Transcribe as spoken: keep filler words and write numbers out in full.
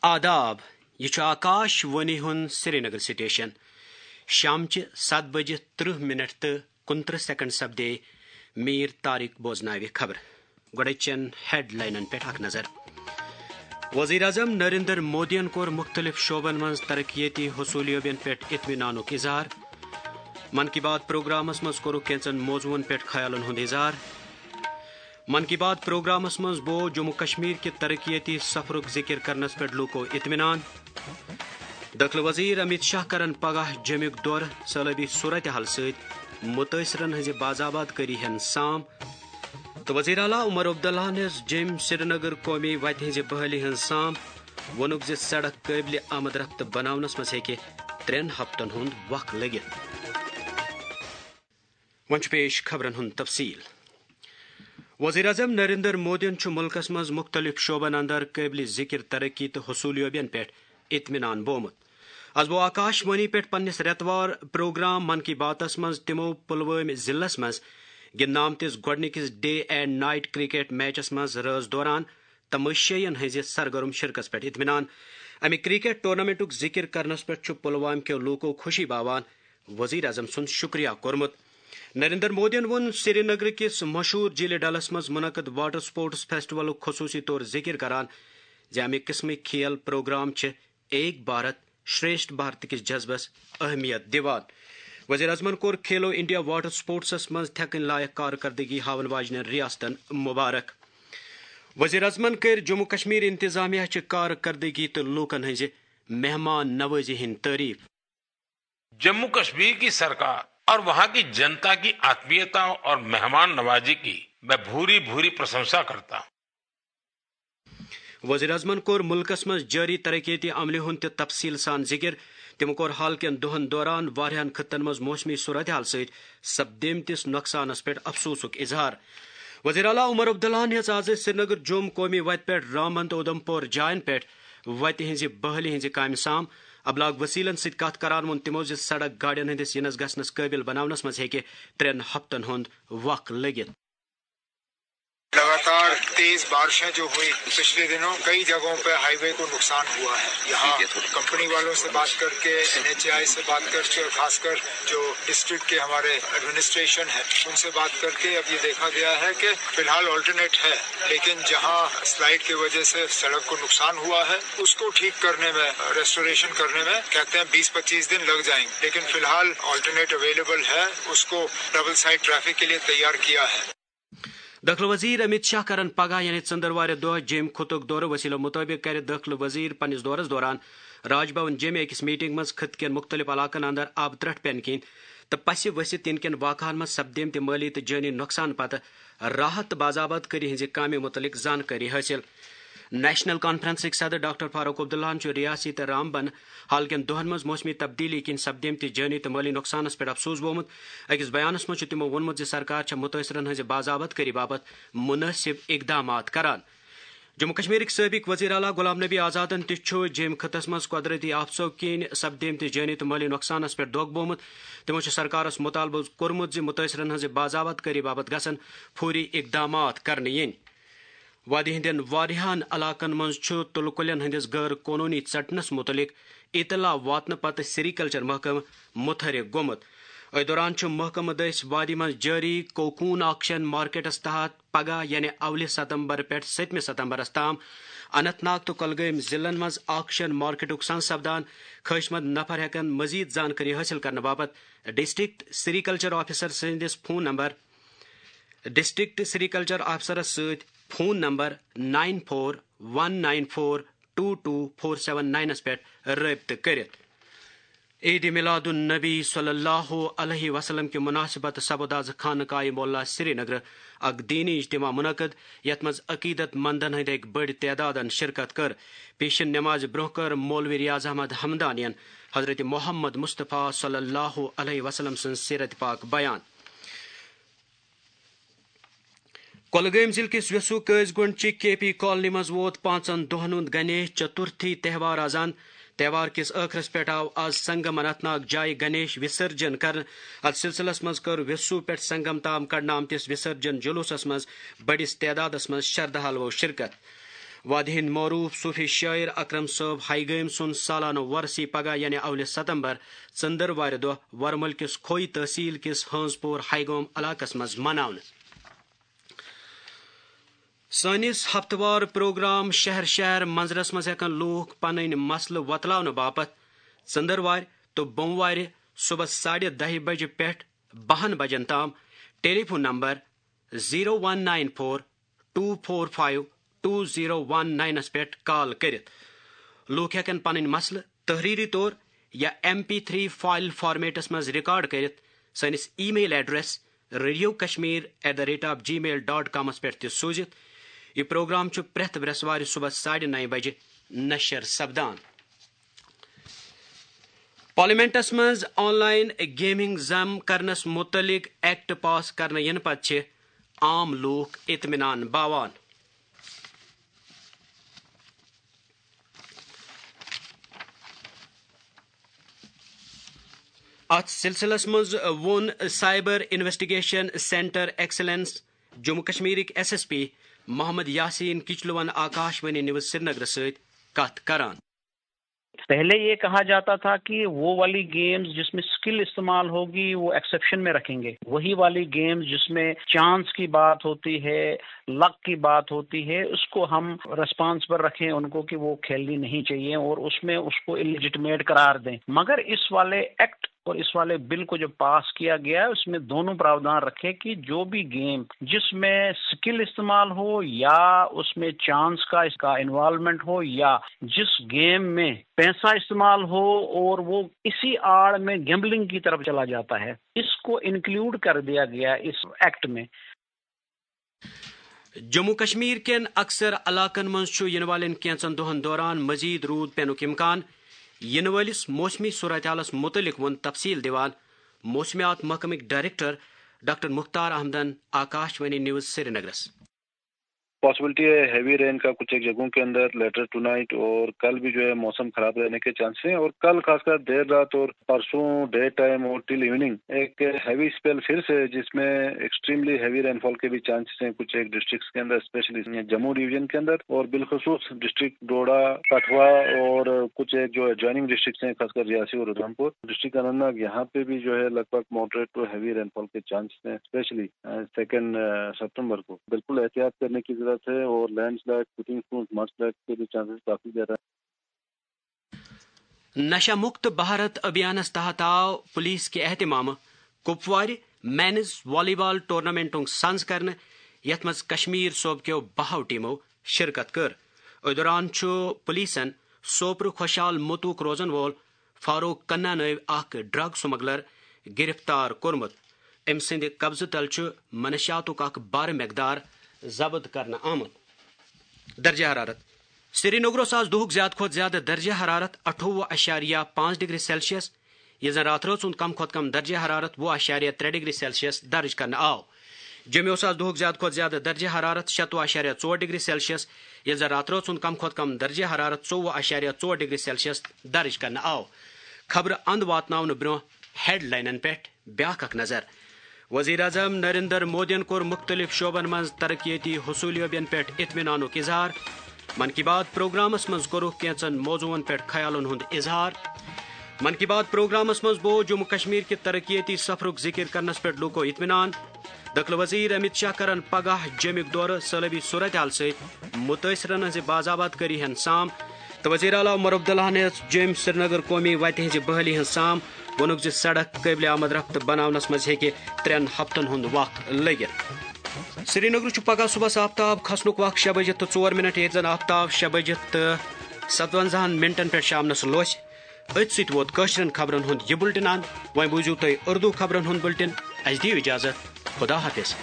آداب، یہِ چھُ آکاش وانی ہُنٛد سرینگر سٹیشن۔ شامچہِ ستھ بجہِ ترٕہ منٹ تہٕ کُنترٕہ سیکنڈ سپدے۔ میر طارق بوزناوِ خبر۔ گۄڈٕ چٮ۪ن ہیڈ لاینن پٮ۪ٹھ اکھ نظر۔ وزیر اعظم نریندر مودیَن کوٚر مُختٔلِف شعبن منٛز ترقیتی حصوٗلیابین پٮ۪ٹھ اطمینانُک اظہار۔ من کی بات پروگرامس منٛز کوٚرُکھ کینٛژن موضوعن پٮ۪ٹھ خیالن ہُنٛد اظہار۔ من کی بات پروگرامس منٛز بوو جموں کشمیر کہِ ترقیتی سفرُک ذکر کرنس پٮ۪ٹھ لوٗکو اطمینان۔ دٲخلہٕ وزیر امیت شاہ کرن پگاہ جیٚمیُک دورٕ، سٲلٲبی صورتحال سۭتۍ مُتٲثرن ہٕنٛزِ باضابط کٲری ہٮ۪ن سام۔ تہٕ وزیر اعلیٰ عمر عبداللہ ہن ہیٚژ جیٚمۍ سرینگر قومی وتہِ ہٕنٛزِ بحٲلی ہٕنٛز سام۔ ووٚنُکھ زِ سڑک قٲبلِ آمد رفت بناونس منٛز ہیٚکہِ ترٛٮ۪ن ہفتن ہُنٛد وق لٔگِتھ۔ وۄنۍ چھُ پیش خبرن ہُنٛد تفصیل۔ وزیر اعظم نریندر مودیَن چھُ مُلکَس منٛز مُختٔلِف شعبن اندر قٲبلِ ذِکِر ترقی تہٕ حصوٗلیابین پٮ۪ٹھ اطمینان بومُت۔ از بوو آکاش وانی پٮ۪ٹھ پننِس رٮ۪توار پروگرام من کی باتس منٛز تِمو پلوٲمۍ ضلعس منٛز گِنٛدنہٕ آمتِس گۄڈٕنِکِس day and night cricket matches منٛز رٲژ دوران تماشٲیین ہٕنٛزِ سرگرم شرکتس پٮ۪ٹھ اطمینان۔ امہِ کرکٹ ٹورنامنٹُک ذِکِر کرنس پٮ۪ٹھ چھُ پلوامہِ کٮ۪و لوٗکو خوشی باوان وزیر اعظم سُنٛد شُکریہ کوٚرمُت۔ نریندر مودیَن ووٚن سرینگر کِس مشہوٗر جھیلِ ڈلس منٛز منعقد واٹر سپورٹس فیسٹیولُک خصوٗصی طور ذِکِر کران زِ امہِ قٕسمٕکۍ کھیل پروگرام چھِ ایک بھارت شریشٹھ بھارت کِس جذبس اہمیت دِوان۔ وزیر اعظمن کوٚر کھیلو انڈیا واٹر سپورٹسس منٛز تھٮ۪کٕنۍ لایق کارکردگی ہاون واجنٮ۪ن ریاستن مبارک۔ وزیر اعظمن کٔر جموں کشمیر انتظامیہ چہِ کارکردگی تہٕ لوٗکن ہٕنٛزِ مہمان نوازی ہٕنٛدۍ تعریف۔ जम्मू कश्मीर की सरकार और वहां की जनता की आत्मीयता और मेहमान नवाजी की मैं भूरी भूरी प्रशंसा करता हूं। وزیر اعظمن کوٚر مُلکَس منٛز جٲری ترقیتی عملہِ ہُنٛد تہِ تفصیٖل سان ذِکِر۔ تٔمۍ کوٚر حال کٮ۪ن دۄہَن دوران واریاہَن خطن منٛز موسمی صورتحال سۭتۍ سپدیمتِس نۄقصانَس پٮ۪ٹھ افسوسُک اظہار۔ وزیر اعلیٰ عمر عبداللہَن ہیٚژ آز سرینگر جوم قومی وتہِ پٮ۪ٹھ رامبند تہٕ اُدھمپور جاین پٮ۪ٹھ وتہِ ہٕنٛزِ بحٲلی ہٕنٛزِ کامہِ سام۔ ابلاغ وسیلن سۭتۍ کتھ کران ووٚن تِمو زِ سڑک گاڑٮ۪ن ہٕنٛدِس یِنس گژھنس قٲبل بناونس منٛز ہیٚکہِ ترٛٮ۪ن ہفتن ہُنٛد وق لٔگِتھ۔ लगातार तेज बारिशें जो हुई पिछले दिनों, कई जगहों पर हाईवे को नुकसान हुआ है। यहाँ कंपनी वालों से बात करके, एनएचएआई से बात करके और खासकर जो डिस्ट्रिक्ट के हमारे एडमिनिस्ट्रेशन है, उनसे बात करके अब ये देखा गया है कि फिलहाल ऑल्टरनेट है, लेकिन जहाँ स्लाइड की वजह से सड़क को नुकसान हुआ है, उसको ठीक करने में, रेस्टोरेशन करने में कहते हैं बीस पच्चीस दिन लग जाएंगे, लेकिन फिलहाल ऑल्टरनेट अवेलेबल है, उसको डबल साइड ट्रैफिक के लिए तैयार किया है। دٲخلہٕ وزیر امیت شاہ کرن پگاہ یعنی ژٔنٛدٕروارِ دۄہ جیٚمۍ خطُک دورٕ۔ وسیلو مُطٲبِق کرِ دٲخلہٕ وزیر پننِس دورس دوران راج بھون جیٚمۍ أکِس میٹنگ منٛز خطہٕ کٮ۪ن مُختٔلِف علاقن اندر آبہٕ ترٛٹھ پینہٕ کِنۍ تہٕ پسہِ ؤسِتھ یِنہٕ کٮ۪ن واقعن منٛز سپدیمتہِ مٲلی تہٕ جٲنی نۄقصان پتہٕ راحت تہٕ باضابط کٲری ہٕنٛزِ کامہِ مُتعلق زانکٲری حٲصِل۔ نیشنل کانفرنسٕکۍ صدر ڈاکٹر فاروق عبداللہَن چھُ ریاستی تہٕ رامبن حال کٮ۪ن دۄہَن منٛز موسمی تبدیلی کِنۍ سپدیمتہِ جٲنی تہٕ مٲلی نۄقصانَس پٮ۪ٹھ افسوس بوومُت۔ أکِس بیانَس منٛز چھُ تِمو ووٚنمُت زِ سرکار چھےٚ مُتٲثرَن ہٕنٛزِ باضابط کٲری باپتھ مُنٲسِب اقدامات کران۔ جموں کشمیرٕکۍ سٲبق وزیر اعلیٰ غلام نبی آزادَن تہِ چھُ جیٚمۍ خطس منٛز قۄدرٔتی آفژو کِنۍ سپدیمتہِ جٲنی تہٕ مٲلی نۄقصانَس پٮ۪ٹھ دۄکھ بوومُت۔ تِمو چھُ سرکارَس مُطالبہٕ کوٚرمُت زِ مُتٲثرَن ہٕنٛزِ باضابط کٲری باپتھ گژھن فوری اقدامات کرنہٕ یِنۍ۔ وادی ہٕنٛدٮ۪ن واریاہَن علاقَن منٛز چھُ تُلہٕ کُلٮ۪ن ہٕنٛدِس غٲر قونوٗنی ژٹنَس مُتعلِق اطلاع واتنہٕ پتہٕ سیریکلچر محکمہٕ متحرک گوٚمُت۔ أتھۍ دوران چھُ محکمہٕ دٔسۍ وادی منٛز جٲری کوکون آکشن مارکیٹَس تحت پگاہ یعنی اولہِ ستمبر پٮ۪ٹھ سٔتمہِ ستمبرَس تام اننت ناگ تہٕ کۄلگٲمۍ ضلعن منٛز آکشن مارکیٹُک سنز سپدان۔ خٲہِشمند نفر ہٮ۪کَن مزید زانکٲری حٲصِل کرنہٕ باپتھ ڈسٹرکٹ سیریکلچر آفیسر سٕنٛدِس فون نمبر، ڈسٹرکٹ سیریکلچر آفیسرَس سۭتۍ phone number nine four one nine four two two four seven نائنس پٮ۪ٹھ رٲبطہٕ کٔرِتھ۔ عید میلاد النبی صلی اللہ علیہ وسلم کہِ مناسبت سپُد از خانقاہ معلیٰ سرینگر اکھ دینی اجتماع منعقد، یتھ منٛز عقیدت مندن ہٕنٛدۍ اکہِ بٔڑۍ تعدادن شرکت کٔر۔ پیشن نمازِ برونٛہہ کٔر مولوی ریاض احمد حمدانین حضرت محمد مصطفیٰ صلی اللہ علیہ وسلم سٕنٛز سیرت پاک بیان۔ کۄلگٲمۍ ضلعہٕ کِس ویسو قٲضۍ گُنڈ چہِ کے پی کالنی منٛز ووت پانٛژن دۄہن ہُنٛد گنیش چترتھی تہوار آز اند۔ تہوار کِس ٲخرس پٮ۪ٹھ آو آز سنگم اننت ناگ جایہِ گنیش وسرجن کرنہٕ۔ اتھ سلسلس منٛز کٔر ویسو پٮ۪ٹھ سنگم تام کڑنہٕ آمتِس وسرجن جلوسس منٛز بٔڑِس تعدادس منٛز شردھالوو شرکت۔ وادی ہند معروف صوفی شاعر اکرم صٲب ہائی گٲمۍ سُنٛد سالانہٕ وۄرثی پگاہ، یعنی اولہِ ستمبر، ژٔنٛدٕروارِ دۄہ ورمُل کِس کھوئی تحصیل کِس ہٲنٛز پور ہائی گام علاقس منٛز مناونہٕ۔ سٲنِس ہفتہٕ وار پروگرام شہر شہر منظرس منٛز ہٮ۪کن لوٗکھ پنٕنۍ مسلہٕ وۄتلاونہٕ باپتھ ژٔنٛدٕروارِ تہٕ بوموارِ صبحس ساڑِ دَہہِ بجہِ پٮ۪ٹھ بَہَن بجن تام telephone number zero one nine four two four five two zero one ناینس پٮ۪ٹھ کال کٔرِتھ۔ لوٗکھ ہٮ۪کن پنٕنۍ مسلہٕ تحریری طور یا M P three file formats منٛز ریکارڈ کٔرِتھ سٲنِس email address radio Kashmir at the rate of G mail dot کامس پٮ۪ٹھ تہِ سوٗزِتھ۔ یہِ پروگرام چھُ پرٛٮ۪تھ برٛٮ۪سوارِ صبحس ساڑِ نَیہِ بجہِ نشر سپدان۔ پارلیمنٹس منٛز آن لائن گیمنگ ضم کرنس متعلق ایکٹ پاس کرنہٕ ینہٕ پتہٕ چھِ عام لوٗکھ اطمینان باوان۔ اتھ سلسلس منٛز ووٚن cyber investigation centre excellence Jammu کشمیرٕکۍ S S P Mohammad Yasin کچلوَن آکاش وانی نیوز سرینگرٕ سۭتۍ کتھ کران۔ پہلے یہ کہا جاتا تھا کہ وہ والی گیمز جس میں اسکل استعمال ہوگی وہ ایکسیپشن میں رکھیں گے، وہی والی گیمز جس میں چانس کی بات ہوتی ہے، لک کی بات ہوتی ہے، اس کو ہم ریسپانسبل رکھیں ان کو کہ وہ کھیلنی نہیں چاہیے اور اس میں اس کو الیجیٹمیٹ قرار دیں۔ مگر اس والے ایکٹ اور اس والے بل کو جو پاس کیا گیا ہے اس میں دونوں پراودھان رکھے کہ جو بھی گیم جس میں اسکل استعمال ہو یا اس میں چانس کا اس کا انوالومنٹ ہو یا جس گیم میں پیسہ استعمال ہو اور وہ اسی آڑ میں گیمبلنگ کی طرف چلا جاتا ہے، اس کو انکلوڈ کر دیا گیا اس ایکٹ میں۔ جموں کشمیر کٮ۪ن اکثر علاقن منٛز چھُ یِنہٕ والٮ۪ن کینٛژن دۄہن دوران مزید روٗد پینُک امکان۔ یِنہٕ وٲلِس موسمی صورتحالس مُتعلق ووٚن تفصیل دِوان موسمیات محکمٕکۍ ڈائریکٹر ڈاکٹر مختار احمدن آکاش وانی نیوز سرینگرس۔ پاسبلٹی ہے ہیوی رین کا کچھ ایک جگہوں کے اندر لیٹر ٹو نائٹ، اور کل بھی جو ہے موسم خراب رہنے کے چانسز ہیں، اور کل خاص کر دیر رات اور پرسوں ڈے ٹائم اور ٹل ایوننگ ایک ہیوی اسپیل پھر سے، جس میں ایکسٹریملی ہیوی رین فال کے بھی چانسز ہیں کچھ ایک ڈسٹرکٹس کے اندر، اسپیشلی جموں ڈویژن کے اندر، اور بالخصوص ڈسٹرکٹ ڈوڈا، کٹھوا اور کچھ ایک جو ایڈجوائننگ ڈسٹرکٹس ہیں، خاص کر ریاسی اور ادھم پور۔ ڈسٹرکٹ اننت ناگ، یہاں پہ بھی جو ہے لگ بھگ moderate to heavy rainfall کے چانسز ہیں، اسپیشلی سیکنڈ ستمبر کو۔ بالکل احتیاط کرنے کی ضرورت ہے، اور لینڈ سلائڈ، فوٹنگ اسٹونز، مڈ سلائڈ کے بھی چانسز کافی زیادہ ہیں۔ نشہ مکت بھارت ابھیانس تحت آو پولیس کہِ اہتمامہٕ کپوارِ مینز والی بال ٹورنامنٹُک سنز کرنہٕ، یتھ منٛز کشمیر صوبہٕ کیو بہو ٹیمو شرکت کٔر۔ أتھۍ دوران چھُ پولیسن سوپرٕ خۄشحال متوک روزن وول فاروق کنا نٲوۍ اکھ ڈرگ سمگلر گرفتار کوٚرمُت۔ أمۍ سٕنٛدِ قبضہٕ تل چھُ منشیاتُک اکھ بارٕ مقدار ضبط کرنہٕ آمُت۔ درجہ حرارت۔ سرینگرس آز دُہُک زیادٕ کھۄتہٕ زیادٕ درجہ حرارت اَٹھووُہ اَشاریہ پانٛژھ ڈگری سیلسیس، ییٚلہِ زن راتھ رٲژ ہُنٛد کم کھۄتہٕ کم درجہ حرارت وُہ اَشاریہ ترٛےٚ ڈگری سیلسیس درج کرنہٕ آو۔ جوٚمہِ اوس آز دُہُک زیادٕ کھۄتہٕ زیادٕ درجہ حرارت شَتوُہ اَشاریہ ژور ڈگری سیلسیس، ییٚلہِ زن راتھ رٲژ ہُنٛد کم کھۄتہٕ کم درجہ حرارت ژوٚوُہ اَشاریہ ژور ڈگری سیلسیس درج کرنہٕ آو۔ خبرٕ اند واتناونہٕ برونٛہہ ہیڈلاینن پٮ۪ٹھ بیاکھ اکھ نظر۔ وزیر اعظم نریندر مودیَن کوٚر مُختٔلِف شعبن منٛز ترقیتی حصوٗلیٲبیَن پٮ۪ٹھ اطمینانُک اظہار۔ من کی بات پروگرامس منٛز کوٚرُکھ کینٛژن موضوعن پٮ۪ٹھ خیالن ہُنٛد اظہار۔ من کی بات پروگرامس منٛز بوو جموں کشمیر کہِ ترقیتی سفرُک ذکر کرنس پٮ۪ٹھ لوٗکو اطمینان۔ دٲخلہٕ وزیر امت شاہ کرن پگاہ جوٚمِک دورٕ، سٲلٲبی صورتحال سۭتۍ متٲثرن ہٕنٛزِ باضابطگی ہُنٛد سام۔ تہٕ وزیر اعلیٰ عمر عبداللہ ہن ہیٚژ جوٚمۍ سرینگر قومی وتہِ ہٕنٛزِ بحالی ہُنٛد سام۔ ووٚنُکھ زِ سڑک قٲبلِ آمد رفت بناونس منٛز ہیٚکہِ ترٛٮ۪ن ہفتن ہُنٛد وق لٔگِتھ۔ سرینگرٕ چھُ پگاہ صبحس آفتاب کھسنُک وق شےٚ بجہِ تہٕ ژور منٹ، ییٚتہِ زن آفتاب شےٚ بجہِ تہٕ ستونزاہن منٹن پٮ۪ٹھ شامنس لوسہِ۔ أتھۍ سۭتۍ ووت کٲشرٮ۪ن خبرن ہُنٛد یہِ بُلٹن اند۔ وۄنۍ بوٗزِو تُہۍ اردو خبرن ہُنٛد بُلٹن۔ اسہِ دِیِو اجازت۔ خدا حافظ۔